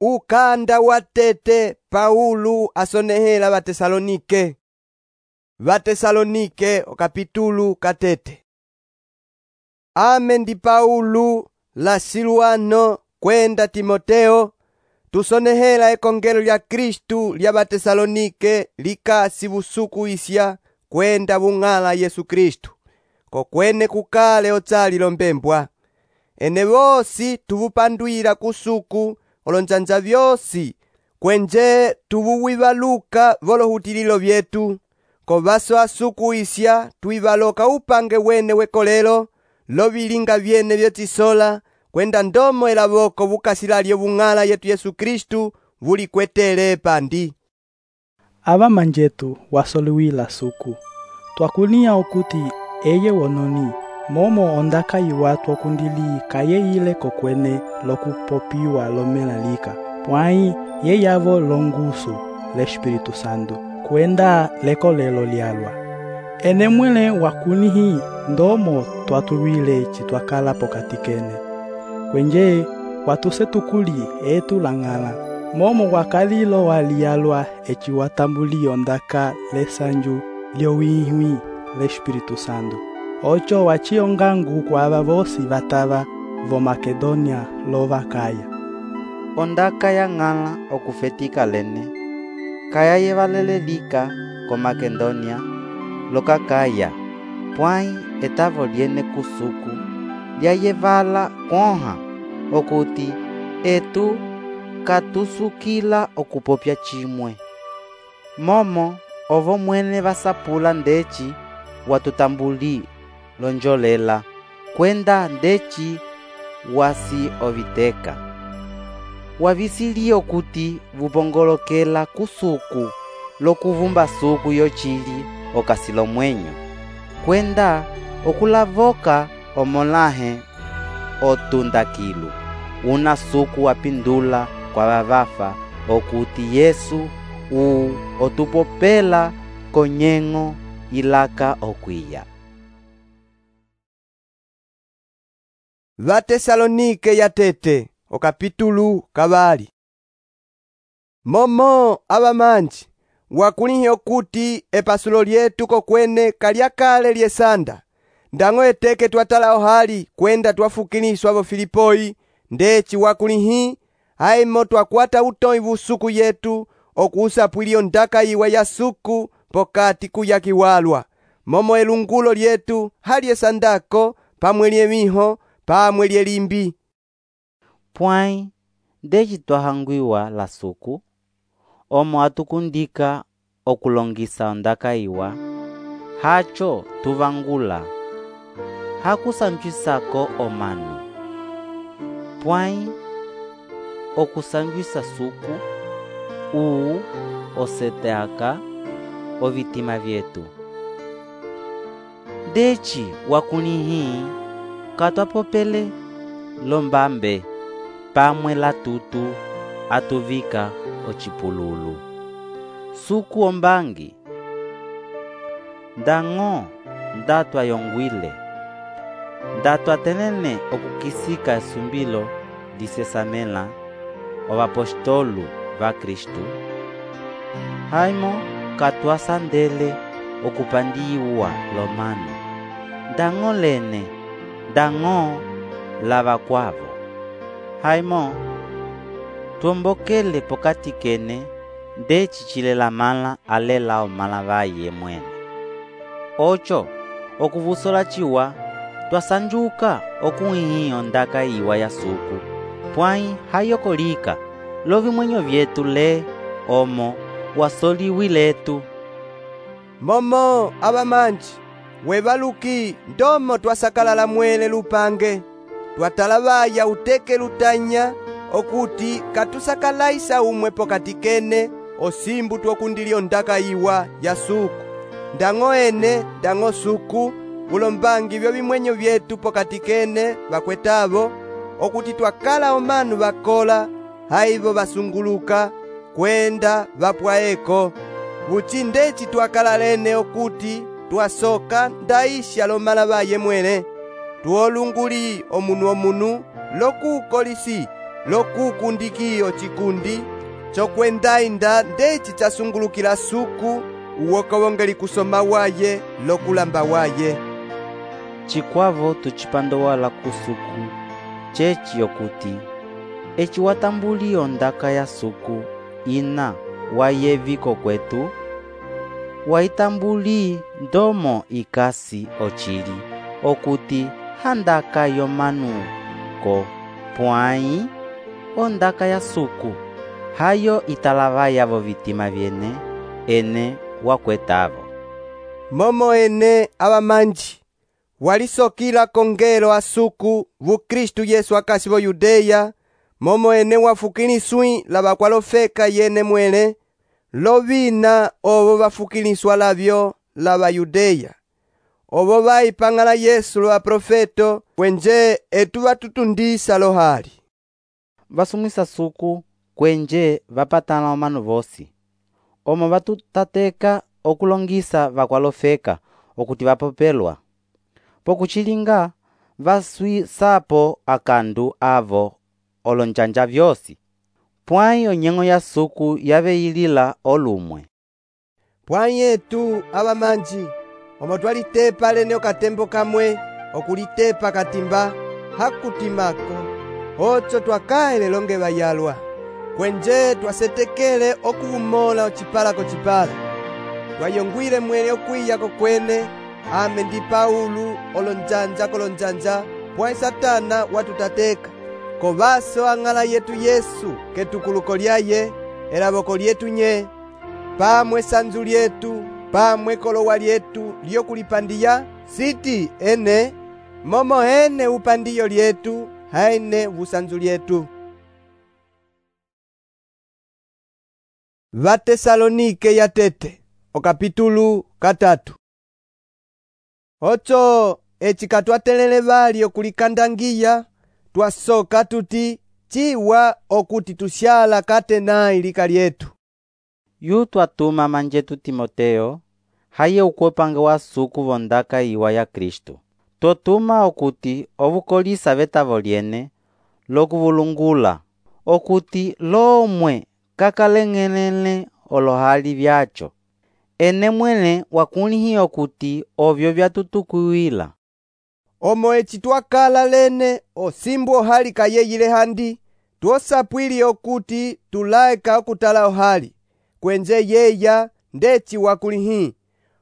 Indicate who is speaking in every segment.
Speaker 1: Ukanda wa tete Paulo asonehela Vatesalonike. Vatesalonike okapitulu katete. Ame ndi Paulo la Silwano kwenda Timoteo tusonehela ekongelo lya Kristu lya Vatesalonike likasi busuku isya kwenda bung'ala Yesu Kristu kokwene kukale otsali lombembwa. Ene bosi tubupandwila kusuku olonjanja byosi kwenje tubuwibaluka volohutililo byetu kovaso asuku isya tuibaloka upange wene wekolelo lobilinga byene byotisola kwenda ndomo elaboko bukasilalye bung'ala yetu Yesu Kristu bulikwetele pandi.
Speaker 2: Aba manjetu wasoliwila suku twakunia okuti eye wononi momo ondaka iwatu okundili kaye ile kokwene lokupopiwa lomelalika pwai ye yavo longusu l'Espiritu Santo kwenda lekolelo lyalwa. Ene mwele wakunihi ndomo twatuwile chitwakala pokatikene kwenje watusetukuli etu lang'ala momo wakalilo waliyalwa eci watambuli ondaka lesanju lyowihwi l'Espiritu Santo ocho wachiongangu kwa aba bosi batava vo Makedonia lo Vakaya.
Speaker 3: Ondaka ya ng'ala okufetika lene kaya yevalelelika ko Makedonia lo kakaya pwai etavo liene kusuku lyayevala kwoha okuti etu katusukila okupopya chimwe momo ovo mwene vasapula ndeci watutambuli lonjolela kwenda ndeci wasi oviteka wavisili okuti vupongolokela kusuku lokuvumba suku yochili okasilo mwenyo kwenda okulavoka omolahe otundakilu una suku wapindula kwa vavafa okuti Yesu otupopela konyengo ilaka okwiya.
Speaker 1: Vatesalonike ya tete okapitulu kabali. Momo abamanji wakulihi okuti epasulo lyetu kokwene kalyakale lyesanda ndango eteke twatala ohali kwenda twafukiliswa vo Filipoi ndeci wakulihi haimo twakwata utoi busuku yetu okusapwilio ndaka iwa ya suku pokati kuyakiwalwa momo elungulo lyetu halyesandako pamwe lyemiho pamwe lyelimbi.
Speaker 3: Pwai ndeci twahangwiwa la suku omo atukundika okulongisa ondaka iwa hacho tuvangula hakusanjwisako omanu pwai okusanjwisa suku oseteaka ovitima vyetu ndeci wakunihi katwapopele lombambe pamwe latutu atuvika ochipululu suku ombangi ndango ndatwayongwile ndatwatenene okukisika esumbilo disesamela ovapostolu va Kristu haimo katwasandele okupandiwa lomano ndango lene ndango lava kwavo haimo tuombokele pokati kene ndeci chilela mala alela omala vaye mwene ocho okuvusola chiwa twasanjuka okuhihi ondaka iwa ya suku pwai hayokolika lovimwenyo vyetu le omo wasoliwiletu.
Speaker 1: Momo abamanji webaluki ndomo twasakalala mwele lupange twatala baya uteke lutanya okuti katusakalaisa umwe pokati kene osimbu twokundilio ndaka iwa ya suku ndango ene ndango suku bulombangi byo bimwenyo byetu pokati kene bakwetabo okuti twakala omanu bakola haibo basunguluka kwenda bapwaeko buchi ndeci twakala lene okuti twasoka ndaisha lomala baye mwene tuolunguli omunu lokukolisi lokukundikiyo chikundi chokwenda-inda ndeci chasungulukila suku uwokowongeli kusoma waye lokulamba waye.
Speaker 3: Chikwavo tuchipandowala kusuku checi yokuti eci watambuli ondaka ya suku ina wayeviko kwetu waitambuli ndomo ikasi ochili okuti handaka yomanuko pwai ondaka ya suku hayo italavaya vo vitima vyene ene wakwetavo.
Speaker 1: Momo ene abamanji walisokila kongelo asuku vu Kristu Yesu akasi vo Yudeya, momo ene wafukiliswi labakwalofeka yene mwele lovina ovo bafukiliswa lavyo laba Yudeya ovo baipang'ala Yesu lo aprofeto kwenje etu batutundisa lohali.
Speaker 3: Vasumwisa suku kwenje vapatana omanu vosi omo vatutateka okulongisa vakwalofeka okuti vapopelwa pokuchilinga vaswisapo akandu avo olonjanja vyosi pwai onyengo ya suku yaveilila olumwe.
Speaker 1: Pwai etu abamanji omo twalitepa lene okatembo kamwe okulitepa katimba hakutimako ocho twakaele longe bayalwa kwenje twasetekele okuvumola ochipala kochipala twayongwile mwele okwiya kokwene ame ndi Paulu olonjanja kolonjanja pwai Satana watutateka kovaso ang'ala yetu Yesu ketukuluko lyaye elaboko lyetu nye pamwe sanzu lyetu pamwe kolowa lyetu lyokulipandiya siti ene momo ene upandiyo lyetu haine vusanzu lyetu. Vatesalonike ya tete okapitulu 3. Ocho eci katwatelele bali okulikandangiya twasoka tuti chiwa okuti tusyala katenayi lika lyetu.
Speaker 3: Yu twatuma manjetu Timoteo haye ukwepange wa suku vondaka iwa ya Kristu totuma okuti ovukolisa vetavo lyene lokuvulungula okuti lomwe kakaleng'elele olohali vyacho ene mwene wakulihiya okuti ovyo vyatutukuwila
Speaker 1: omo eci twakala lene osimbu ohali kayeyile handi twosapwili okuti tulaeka okutala ohali kwenje yeya ndeci wakulihi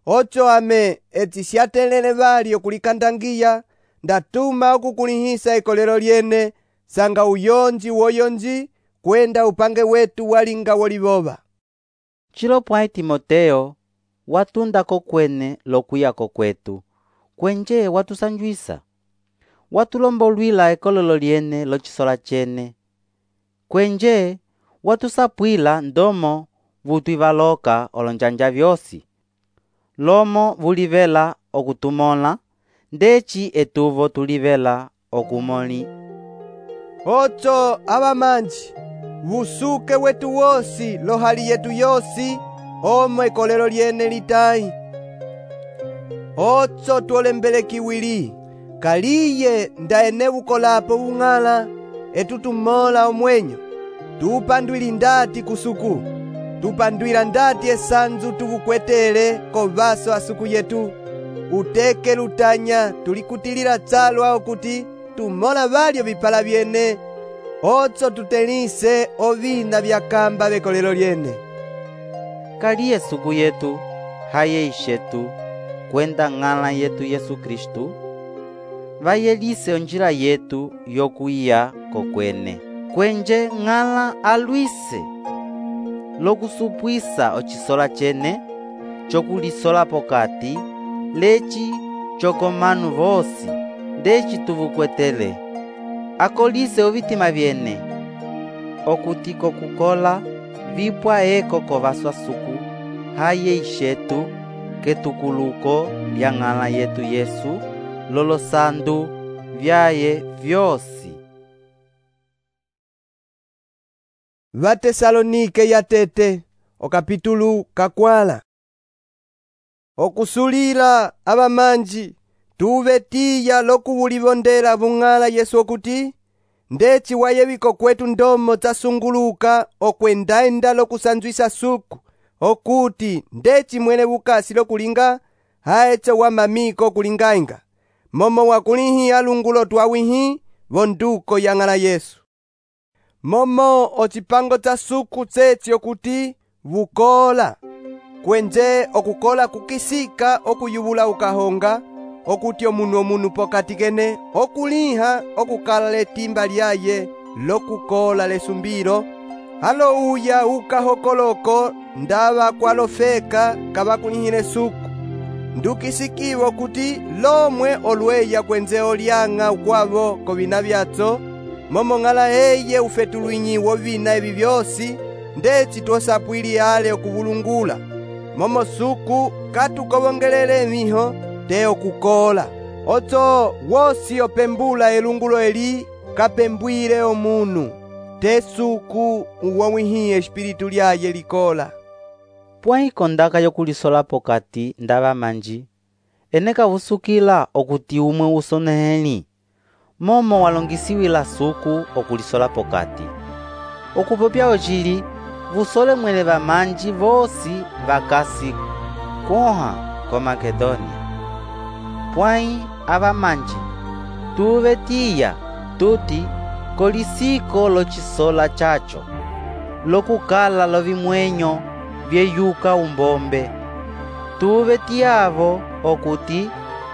Speaker 1: ocho ame eci syatelele bali okulikandangiya ndatuma okukulihisa ikolelo lyene sanga uyonji woyonji kwenda upange wetu walinga woliboba.
Speaker 3: Chilo pwai Timoteo watunda kokwene lokuya kokwetu kwenje watusanjwisa watulombolwila ekolelo lyene lochisola chene kwenje watusapwila ndomo vutwivaloka olonjanja vyosi lomo vulivela okutumola ndeci etuvo tulivela okumoli.
Speaker 1: Ocho abamanji vusuke wetu wosi lohali yetu yosi omo ekolelo lyene litayi ocho tuolembele kiwili kaliye ndaene bukolapo bung'ala etutumola omwenyo tupandwili ndati kusuku tupandwila ndati esanzu tubukwetele kovaso asuku yetu uteke lutanya tulikutilila chalwa okuti tumola balyo bipala byene ocho tutelise ovina byakamba bekolelo lyene.
Speaker 3: Kaliye suku yetu haye ishetu kwenda ng'ala yetu Yesu Kristu vayelise onjila yetu yokuya kokwene kwenje ng'ala alwise lokusupwisa ochisola chene chokulisola pokati leci chokomanu vosi ndeci tuvukwetele akolise ovitima vyene okuti kokukola vipwa eko kovaswa suku haye ishetu ketukuluko lya ng'ala yetu Yesu lolosandu vyaye vyosi.
Speaker 1: Vatesalonike ya tete okapitulu 4. Okusulila abamanji tuve tiya lokubulivondela bung'ala Yesu okuti ndeci wayeviko kwetu ndomo zasunguluka okwenda-enda lokusanzwisa suku, okuti ndeci mwene bukasi lokulinga haecho wamamiko kulingainga, momo wakulihi alungulo twawihi vonduko yang'ala Yesu. Momo ocipango cha suku tseci okuti vukola, kwenje okukola kukisika okuyubula ukahonga, okuti omunu pokati kene okuliha okukala letimba lyaye lokukola lesumbilo, halo uya ukahokoloko ndava kwalofeka kavakulihile suku, ndukisikiwa kuti lomwe olweya kwenze olyang'a ukwavo kovina vyatso, momo ng'ala eye ufetulwinyi wovina evi vyosi, ndeci tosapwili ale okuvulungula, momo suku katukovongelele emiho te okukola, oto wosi opembula elungulo eli kapembwile omunu, te suku uwawihi espiritu lyaye likola.
Speaker 3: Pwai kondaka yokulisola pokati ndava manji, eneka vusukila okuti umwe usoneheli, momo walongisiwila suku okulisola pokati. Okupopya ocili, vusole mwele vamanji vosi vakasi kuha ko Makedonia. Pwai avamanji tuvetiya tuti kolisiko locisola chacho, lokukala lovimwenyo vyeyuka umbombe. Tuvetiyavo okuti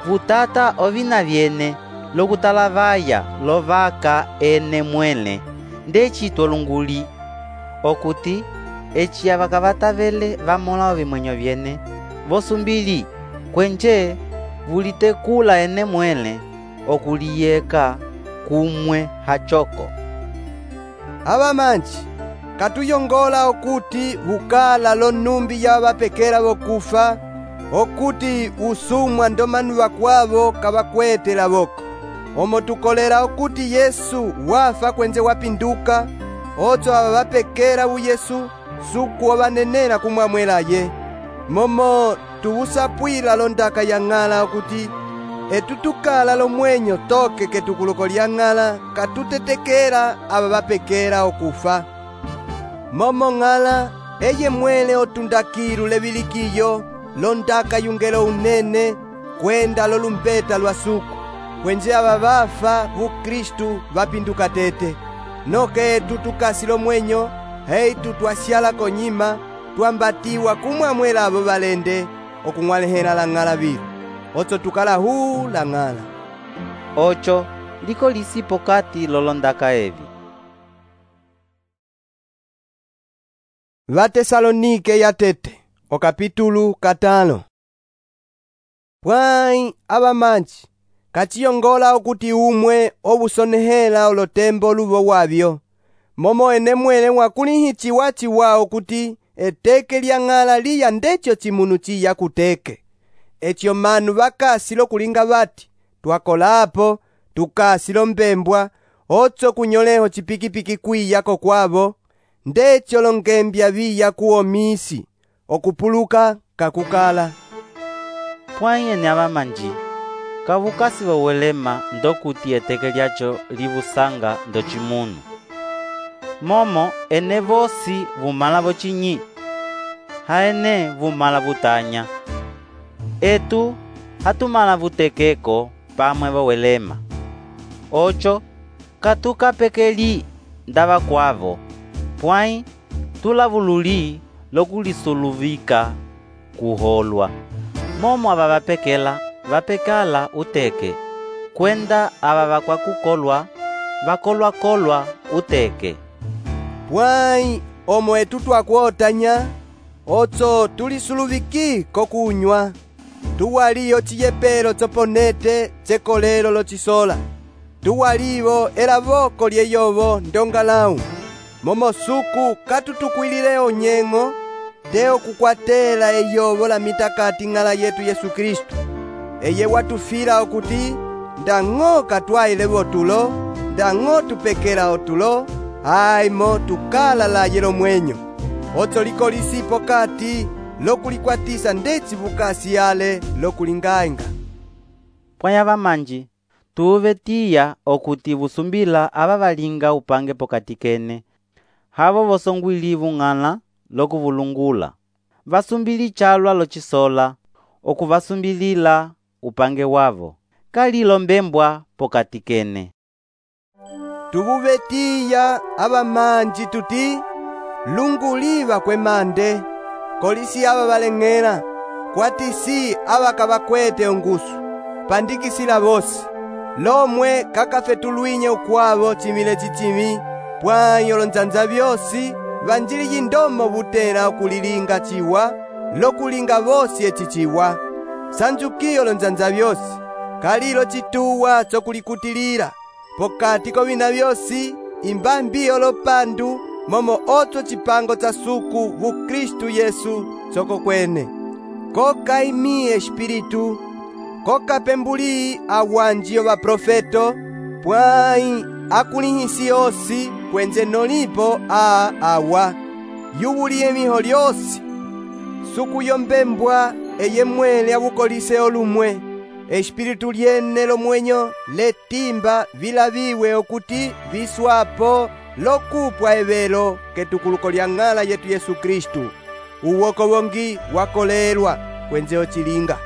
Speaker 3: vutata ovina vyene lokutalavaya lovaka ene mwele, ndeci tolunguli okuti eci avakavatavele vamola ovimwenyo vyene vosumbili, kwenje vulitekula ene mwele okuliyeka kumwe hachoko.
Speaker 1: Avamanji katuyongola okuti vukala lonumbi ya vapekela vokufa, okuti usumwa ndomanu vakwavo kavakwetela voko, omo tukolera okuti Yesu wafa kwenze wapinduka, otso ava vapekela uyesu suku ovanenela kumwamwelaye, momo tuvusapwila londaka yang'ala okuti etutukala lomwenyo toke ketukuluko lyang'ala katutetekela ava vapekela okufa. Momo ng'ala eye mwele otundakilu levilikiyo londaka yungelo unene kwenda lolumbeta lwa suku, kwenje ava vafa vukristu vapinduka tete, noke etu tukasi lomwenyo heitu twasyala konyima twambatiwa kumwamwela avo valende okung'walehela lang'ala vilu, otso tukala huu lang'ala.
Speaker 3: Ocho liko lisi pokati lolondaka evi.
Speaker 1: Vatesalonike yatete okapitulu 5. Pwai avamanji kachiyongola okuti umwe obusonehela olotembo luvo wavyo, momo ene mwele mwakulihichiwa chiwa okuti eteke lyang'ala liya ndecho chimunu chiya kuteke, echo manu vakasi lokulinga vati twakolapo tukasi lombembwa, otso kunyoleho chipikipiki kwiyako kwavo, ndecho longembya viya kuomisi okupuluka kakukala.
Speaker 3: Pwai ene avamanji kavukasi vowelema ndokuti eteke lyacho livusanga ndocimunu, momo ene vosi vumala vocinyi, haene vumala vutanya, etu hatumala vutekeko pamwe vowelema. Ocho katukapekeli ndava kwavo, pwai tulavululi lokulisuluvika kuholwa, momo ava vapekela vapekala uteke, kwenda ava vakwakukolwa vakolwa uteke.
Speaker 1: Pwai omo etu twakuotanya, otso tulisuluviki kokunywa, tuwaliyo chiyepelo tsoponete tsekolelo locisola, tuwalivo elavoko lyeyovo ndongalau, momo suku katutukwilile onyeng'o te okukwatela eyovo la mitakati ng'ala yetu Yesu Kristu, eye watufila okuti ndang'o katwaile votulo, ndang'o tupekela otulo, haimo tukala laye lomwenyo, otso liko lisi pokati lokulikwatisa ndeci vukasi ale lokulingainga.
Speaker 3: Pwai avamanji Tuvetiya okuti vusumbila ava valinga upange pokati kene, havo vosongwilivu ng'ala lokuvulungula. Vasumbili chalwa locisola, okuvasumbilila upange wavo. Kalilo mbembwa pokati kene.
Speaker 1: Tuvuvetiya ava manji tuti lunguliva kwemande, kolisi ava valeng'ela, kwatisi ava kavakwete ongusu, pandikisila vosi. Lomwe kakafetulwinye ukwavo cimile cicimi, pwayo lonzanza vyosi, vanjili yindomo vutela okulilinga ciwa, lokulinga vosi eci ciwa. Sanjukiyo lonzanza vyosi, kalilo cituwa cokulikutilila, pokati kovina vyosi, imbambi olopandu, momo otso cipango ca suku vu Kristu Yesu coko kwene. Koka imi espiritu, koka pembuli awanji ova profeto, pwai akulihisi osi kwenze nolipo awa. Yubuliye miho lyosi, suku yombembwa eye mwele avukolise olumwe. Espiritu lyene lomwenyo letimba vilaviwe okuti viswapo lokupwa evelo ketukuluko lya ng'ala yetu Yesu Kristu. Uwoko wongi wakolelwa kwenze ocilinga.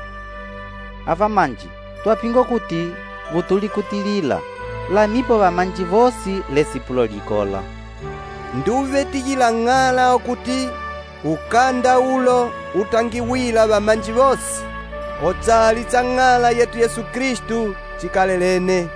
Speaker 3: Ava manji twapinga kuti vutulikutilila, lamipo vamanji vosi lesipulo likola.
Speaker 1: Nduvetiyila ng'ala okuti ukanda ulo utangiwila vamanji vosi, otsali tsa ng'ala yetu Yesu Kristu cikalelene.